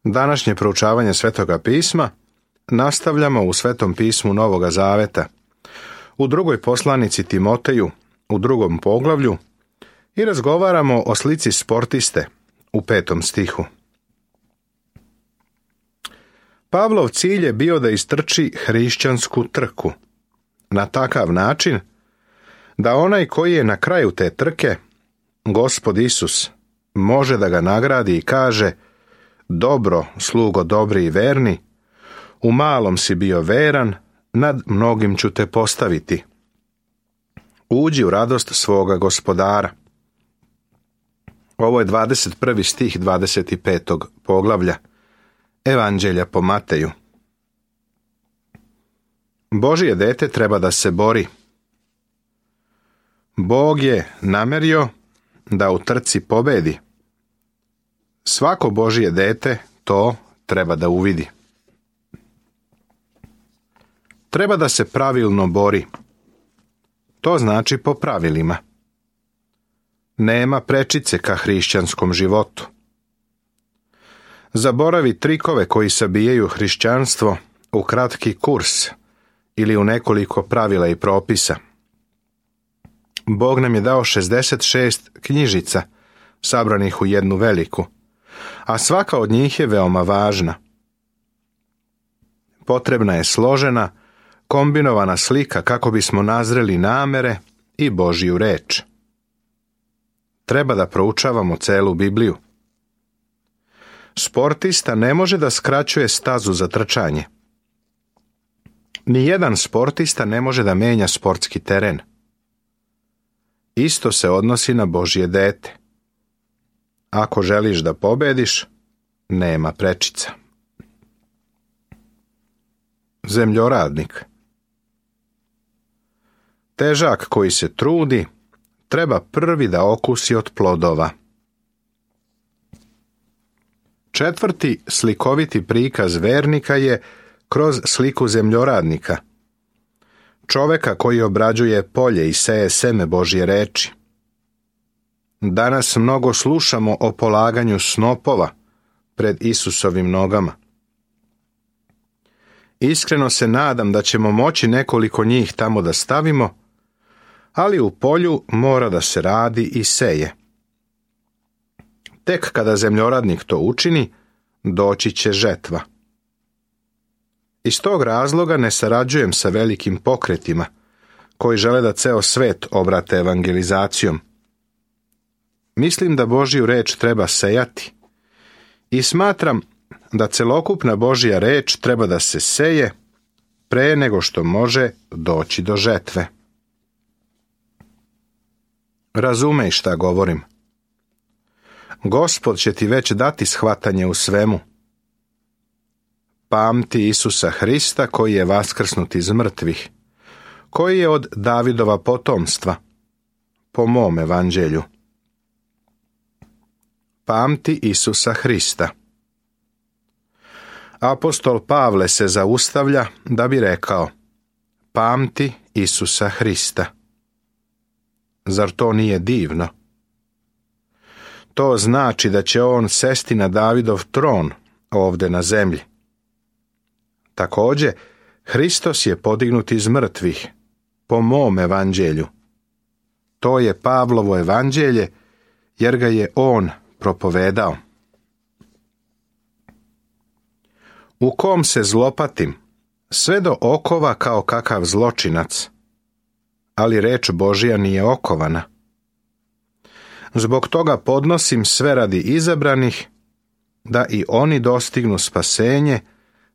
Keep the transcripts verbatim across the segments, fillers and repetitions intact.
Današnje proučavanje Svetoga pisma nastavljamo u Svetom pismu Novoga Zaveta, u drugoj poslanici Timoteju, u drugom poglavlju, i razgovaramo o slici sportiste u petom stihu. Pavlov cilj je bio da istrči hrišćansku trku na takav način da onaj koji je na kraju te trke, Gospod Isus, može da ga nagradi i kaže: dobro, slugo dobri i verni, u malom si bio veran, nad mnogim ću te postaviti. Uđi u radost svoga Gospodara. Ovo je dvadeset prvi stih dvadeset petog poglavlja Evanđelja po Mateju. Božje dete treba da se bori. Bog je namerio da u trci pobedi. Svako Božje dete to treba da uvidi. Treba da se pravilno bori. To znači po pravilima. Nema prečice ka hrišćanskom životu. Zaboravi trikove koji sabijaju hrišćanstvo u kratki kurs ili u nekoliko pravila i propisa. Bog nam je dao šezdeset šest knjižica sabranih u jednu veliku, a svaka od njih je veoma važna. Potrebna je složena, kombinovana slika kako bismo nazreli namere i Božju reč. Treba da proučavamo celu Bibliju. Sportista ne može da skraćuje stazu za trčanje. Nijedan sportista ne može da menja sportski teren. Isto se odnosi na Božje dete. Ako želiš da pobediš, nema prečica. Zemljoradnik. Težak koji se trudi, treba prvi da okusi od plodova. Četvrti slikoviti prikaz vernika je kroz sliku zemljoradnika, čoveka koji obrađuje polje i seje seme Božje reči. Danas mnogo slušamo o polaganju snopova pred Isusovim nogama. Iskreno se nadam da ćemo moći nekoliko njih tamo da stavimo, ali u polju mora da se radi i seje. Tek kada zemljoradnik to učini, doći će žetva. Iz tog razloga ne sarađujem sa velikim pokretima koji žele da ceo svet obrate evangelizacijom. Mislim da Božju reč treba sejati i smatram da celokupna Božja reč treba da se seje pre nego što može doći do žetve. Razumej šta govorim. Gospod će ti već dati shvatanje u svemu. Pamti Isusa Hrista koji je vaskrsnut iz mrtvih, koji je od Davidova potomstva, po mom evanđelju. Pamti Isusa Hrista. Apostol Pavle se zaustavlja da bi rekao: pamti Isusa Hrista. Zar to nije divno? To znači da će on sesti na Davidov tron ovde na zemlji. Također, Hristos je podignut iz mrtvih, po mom evanđelju. To je Pavlovo evanđelje, jer ga je on propovedao. U kom se zlopatim, sve do okova kao kakav zločinac, ali reč Božja nije okovana. Zbog toga podnosim sve radi izabranih, da i oni dostignu spasenje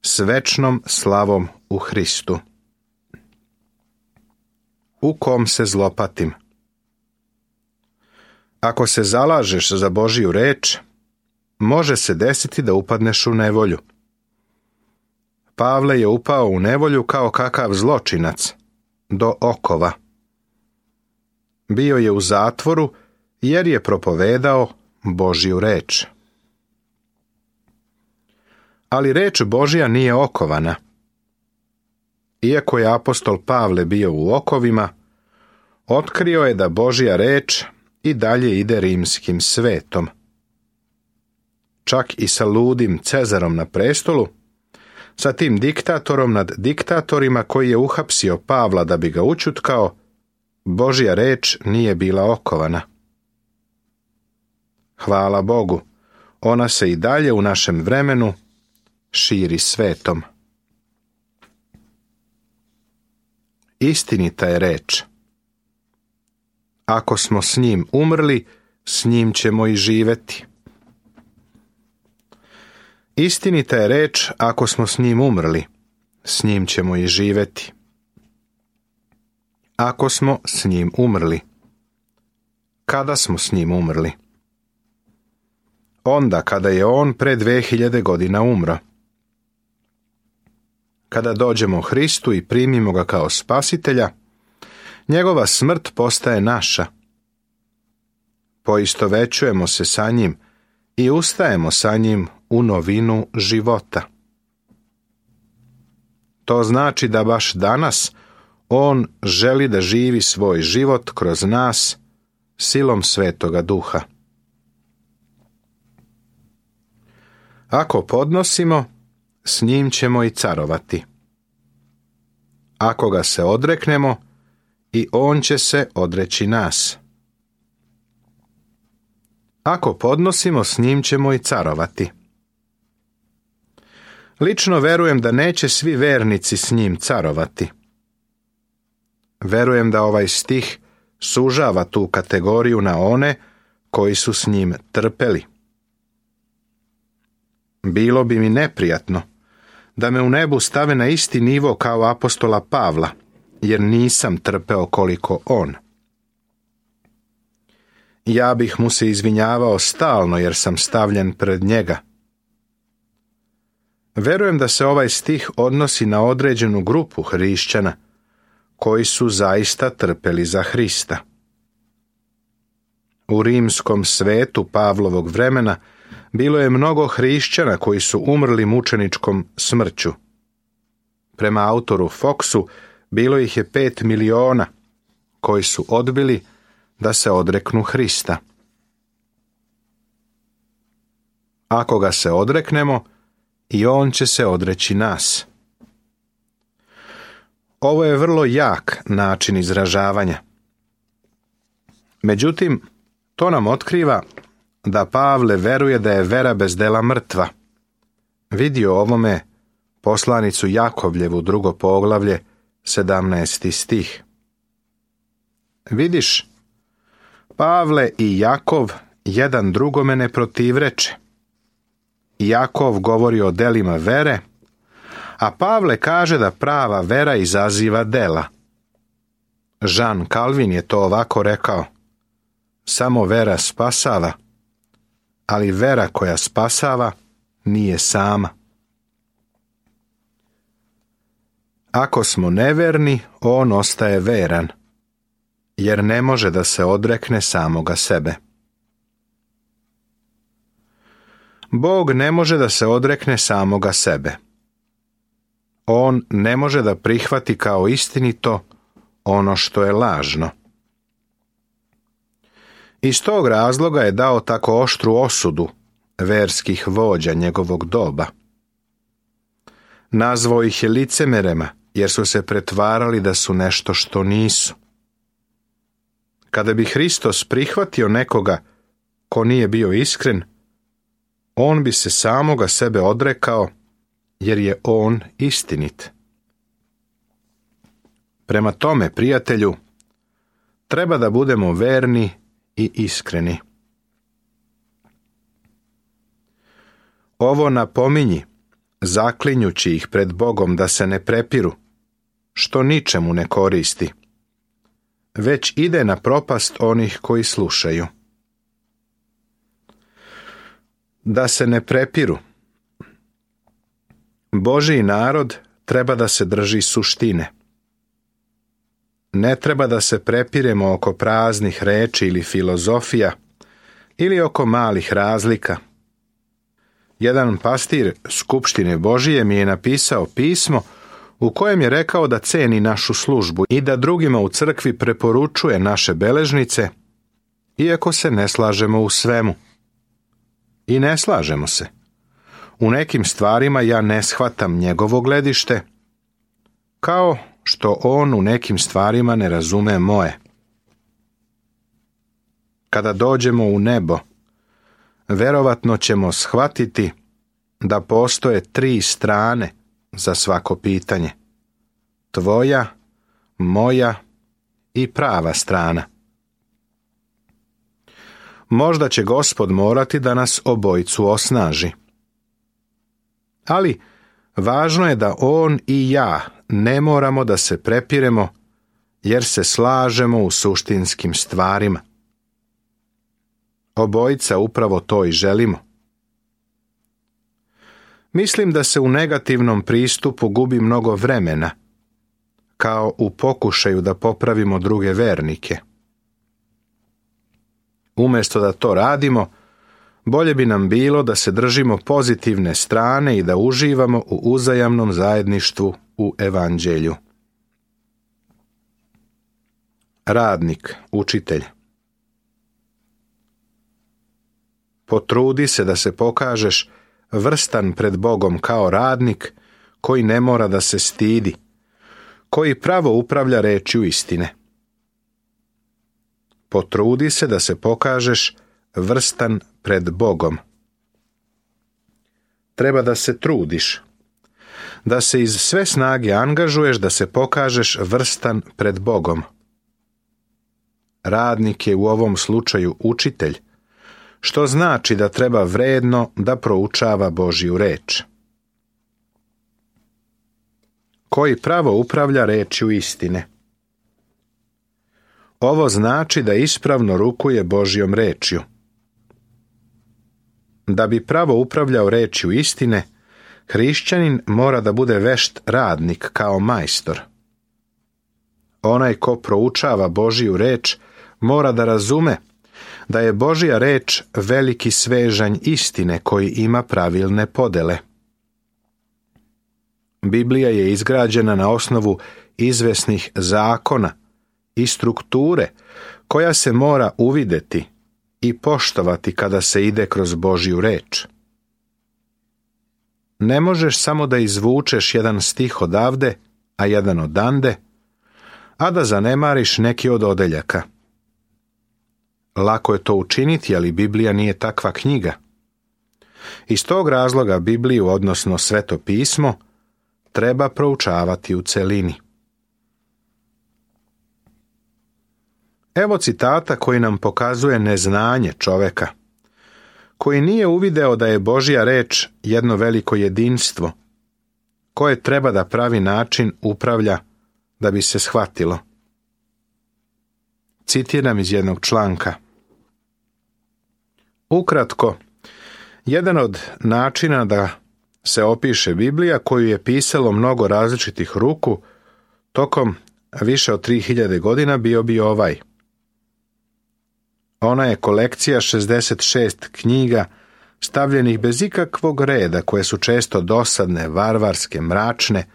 s večnom slavom u Hristu. U kom se zlopatim. Ako se zalažeš za Božju reč, može se desiti da upadneš u nevolju. Pavle je upao u nevolju kao kakav zločinac, do okova. Bio je u zatvoru jer je propovedao Božju reč. Ali reč Božja nije okovana. Iako je apostol Pavle bio u okovima, otkrio je da Božja reč i dalje ide rimskim svetom. čak i sa ludim Cezarom na prestolu, sa tim diktatorom nad diktatorima koji je uhapsio Pavla da bi ga ućutkao, Božja reč nije bila okovana. Hvala Bogu, ona se i dalje u našem vremenu širi svetom. Istinita je reč. Ako smo s njim umrli, s njim ćemo i živjeti. Istinita je reč, ako smo s njim umrli, s njim ćemo i živjeti. Ako smo s njim umrli. Kada smo s njim umrli? Onda kada je on pre dve hiljade godina umro. Kada dođemo Hristu i primimo ga kao spasitelja, njegova smrt postaje naša. Poistovećujemo se sa njim i ustajemo sa njim u novinu života. To znači da baš danas on želi da živi svoj život kroz nas silom Svetoga Duha. Ako podnosimo, s njim ćemo i carovati. Ako ga se odreknemo, i on će se odreći nas. Ako podnosimo, s njim ćemo i carovati. Lično verujem da neće svi vernici s njim carovati. Verujem da ovaj stih sužava tu kategoriju na one koji su s njim trpeli. Bilo bi mi neprijatno da me u nebu stave na isti nivo kao apostola Pavla, jer nisam trpeo koliko on. Ja bih mu se izvinjavao stalno jer sam stavljen pred njega. Verujem da se ovaj stih odnosi na određenu grupu hrišćana koji su zaista trpeli za Hrista. U rimskom svetu Pavlovog vremena bilo je mnogo hrišćana koji su umrli mučeničkom smrću. Prema autoru Foxu bilo ih je pet miliona koji su odbili da se odreknu Hrista. Ako ga se odreknemo, i on će se odreći nas. Ovo je vrlo jak način izražavanja. Međutim, to nam otkriva da Pavle veruje da je vera bez dela mrtva. Vidi o ovome poslanicu Jakovljevu, drugo poglavlje, sedamnaesti stih. Vidiš, Pavle i Jakov jedan drugome ne protivreče. Jakov govori o delima vere, a Pavle kaže da prava vera izaziva dela. Jean Calvin je to ovako rekao: samo vera spasava, ali vera koja spasava nije sama. Ako smo neverni, on ostaje veran, jer ne može da se odrekne samoga sebe. Bog ne može da se odrekne samoga sebe. On ne može da prihvati kao istinito ono što je lažno. Iz tog razloga je dao tako oštru osudu verskih vođa njegovog doba. Nazvao ih je licemerema, jer su se pretvarali da su nešto što nisu. Kada bi Hristos prihvatio nekoga ko nije bio iskren, on bi se samoga sebe odrekao, jer je on istinit. Prema tome, prijatelju, treba da budemo verni i iskreni. Ovo napominji, zaklinjući ih pred Bogom da se ne prepiru, što ničemu ne koristi, već ide na propast onih koji slušaju. Da se ne prepiru. Božji narod treba da se drži suštine. Ne treba da se prepiremo oko praznih reči ili filozofija, ili oko malih razlika. Jedan pastir Skupštine Božije mi je napisao pismo u kojem je rekao da ceni našu službu i da drugima u crkvi preporučuje naše beležnice, iako se ne slažemo u svemu. i ne slažemo se. U nekim stvarima ja ne shvatam njegovo gledište, kao što on u nekim stvarima ne razume moje. Kada dođemo u nebo, verovatno ćemo shvatiti da postoje tri strane za svako pitanje. Tvoja, moja i prava strana. Možda će Gospod morati da nas obojicu osnaži. Ali važno je da on i ja ne moramo da se prepiremo, jer se slažemo u suštinskim stvarima. Obojica upravo to i želimo. Mislim da se u negativnom pristupu gubi mnogo vremena, kao u pokušaju da popravimo druge vernike. Umjesto da to radimo, bolje bi nam bilo da se držimo pozitivne strane i da uživamo u uzajamnom zajedništvu u evanđelju. Radnik, učitelj. Potrudi se da se pokažeš vrstan pred Bogom kao radnik koji ne mora da se stidi, koji pravo upravlja rečju istine. Potrudi se da se pokažeš vrstan pred Bogom. Treba da se trudiš, da se iz sve snage angažuješ da se pokažeš vrstan pred Bogom. Radnik je u ovom slučaju učitelj, što znači da treba vredno da proučava Božju reč. Koji pravo upravlja rečju istine. Ovo znači da ispravno rukuje Božjom rečju. Da bi pravo upravljao rečju istine, hrišćanin mora da bude vešt radnik kao majstor. Onaj ko proučava Božju reč mora da razume da je Božja reč veliki svežanj istine koji ima pravilne podele. Biblija je izgrađena na osnovu izvesnih zakona i strukture koja se mora uvideti i poštovati kada se ide kroz Božju reč. Ne možeš samo da izvučeš jedan stih odavde, a jedan odande, a da zanemariš neki od odeljaka. Lako je to učiniti, ali Biblija nije takva knjiga. Iz tog razloga Bibliju, odnosno Sveto pismo, treba proučavati u celini. Evo citata koji nam pokazuje neznanje čoveka, koji nije uvideo da je Božja reč jedno veliko jedinstvo, koje treba da pravi način upravlja da bi se shvatilo. Citiram iz jednog članka. Ukratko, jedan od načina da se opiše Biblija, koju je pisalo mnogo različitih ruku tokom više od tri hiljade godina, bio bi ovaj. Ona je kolekcija šezdeset šest knjiga stavljenih bez ikakvog reda, koje su često dosadne, varvarske, mračne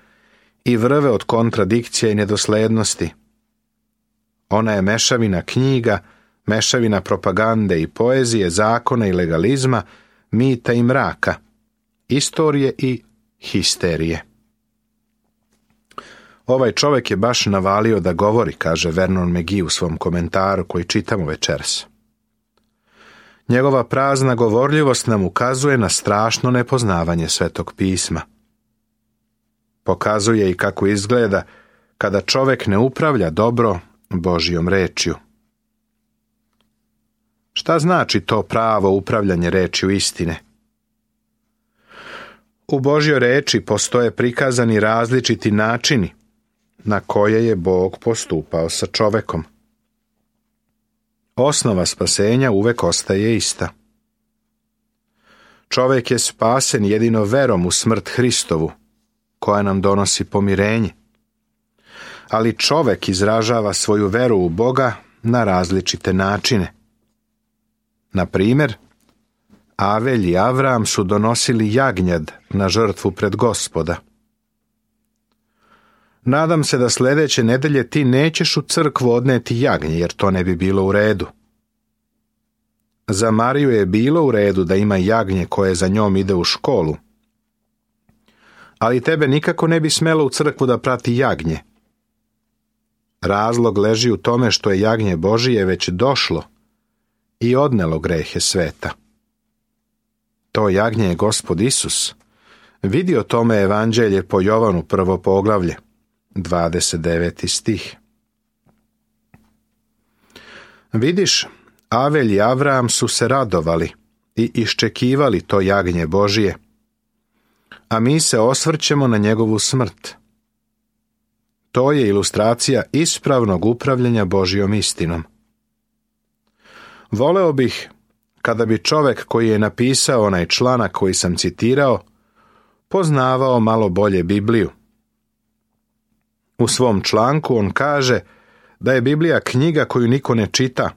i vrve od kontradikcija i nedoslednosti. Ona je mešavina knjiga, mešavina propagande i poezije, zakona i legalizma, mita i mraka, istorije i histerije. Ovaj čovjek je baš navalio da govori, kaže Vernon McGee u svom komentaru koji čitamo večeras. Njegova prazna govorljivost nam ukazuje na strašno nepoznavanje Svetog pisma. Pokazuje i kako izgleda kada čovjek ne upravlja dobro Božjom rečju. Šta znači to pravo upravljanje rečju istine? U Božjoj reči postoje prikazani različiti načini na koje je Bog postupao sa čovekom. Osnova spasenja uvek ostaje ista. Čovek je spasen jedino verom u smrt Hristovu, koja nam donosi pomirenje. Ali čovek izražava svoju veru u Boga na različite načine. Na primjer, Avelj i Avram su donosili jagnjad na žrtvu pred Gospoda. Nadam se da sljedeće nedelje ti nećeš u crkvu odneti jagnje, jer to ne bi bilo u redu. Za Mariju je bilo u redu da ima jagnje koje za njom ide u školu, ali tebe nikako ne bi smelo u crkvu da prati jagnje. Razlog leži u tome što je jagnje Božije već došlo i odnelo grehe sveta. To jagnje je Gospod Isus. Vidi o tome evanđelje po Jovanu prvo poglavlje, dvadeset deveti stih. Vidiš, Avelj i Avram su se radovali i iščekivali to jagnje Božije, a mi se osvrćemo na njegovu smrt. To je ilustracija ispravnog upravljanja Božjom istinom. Voleo bih kada bi čovjek koji je napisao onaj članak koji sam citirao poznavao malo bolje Bibliju. U svom članku on kaže da je Biblija knjiga koju niko ne čita,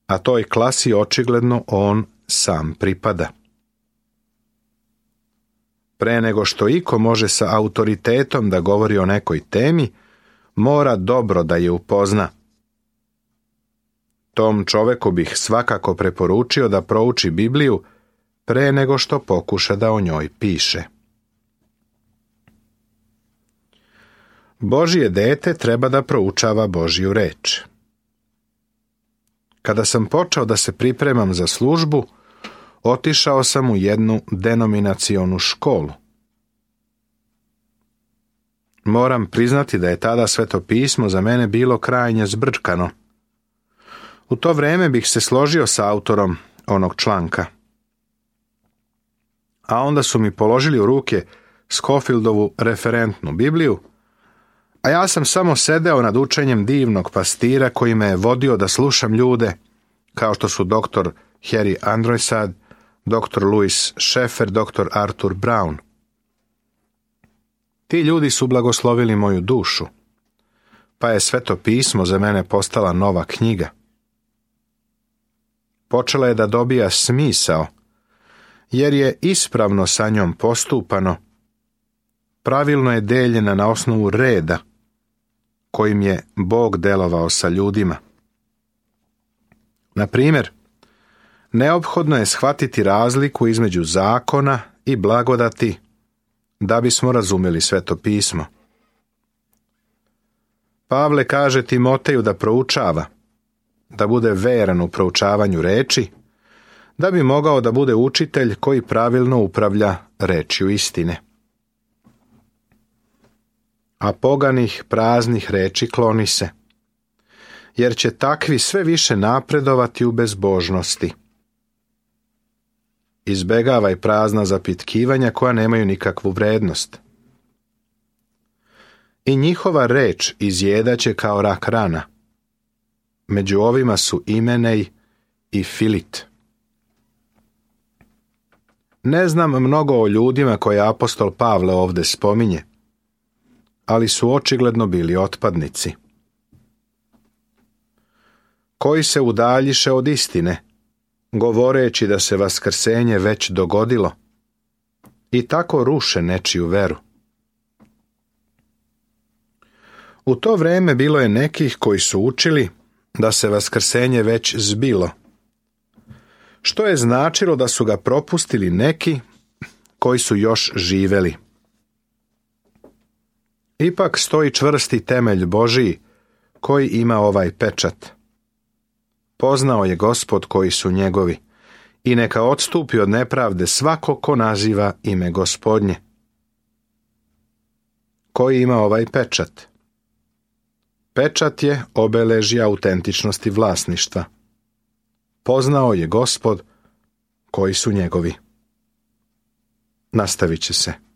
a toj klasi očigledno on sam pripada. Pre nego što iko može sa autoritetom da govori o nekoj temi, mora dobro da je upozna. Tom čoveku bih svakako preporučio da prouči Bibliju pre nego što pokuša da o njoj piše. Božje dete treba da proučava Božju reč. Kada sam počeo da se pripremam za službu, otišao sam u jednu denominacionu školu. Moram priznati da je tada Sveto pismo za mene bilo krajnje zbrčkano. U to vreme bih se složio sa autorom onog članka. A onda su mi položili u ruke Scofieldovu referentnu Bibliju, a ja sam samo sedeo nad učenjem divnog pastira koji me je vodio da slušam ljude, kao što su doktor Harry Androysad, doktor Louis Schaeffer, doktor Arthur Brown. Ti ljudi su blagoslovili moju dušu, pa je Sveto pismo za mene postala nova knjiga. Počela je da dobija smisao, jer je ispravno sa njom postupano, pravilno je deljena na osnovu reda kojim je Bog delovao sa ljudima. Na primjer, neophodno je shvatiti razliku između zakona i blagodati da bismo razumjeli Sveto pismo. Pavle kaže Timoteju da proučava, da bude veran u proučavanju reči, da bi mogao da bude učitelj koji pravilno upravlja rečju istine. A poganih praznih reči kloni se, jer će takvi sve više napredovati u bezbožnosti. Izbegavaj prazna zapitkivanja koja nemaju nikakvu vrednost. I njihova reč izjedaće kao rak rana. Među ovima su Imenej i Filit. Ne znam mnogo o ljudima koje apostol Pavle ovdje spominje, ali su očigledno bili otpadnici. Koji se udaljiše od istine, govoreći da se vaskrsenje već dogodilo, i tako ruše nečiju veru. U to vrijeme bilo je nekih koji su učili da se vaskrsenje već zbilo, što je značilo da su ga propustili neki koji su još živeli. Ipak stoji čvrsti temelj Božiji koji ima ovaj pečat. Poznao je Gospod koji su njegovi i neka odstupi od nepravde svako ko naziva ime Gospodnje. Koji ima ovaj pečat? Pečat je obeležje autentičnosti vlasništva. Poznao je Gospod koji su njegovi. Nastavit će se.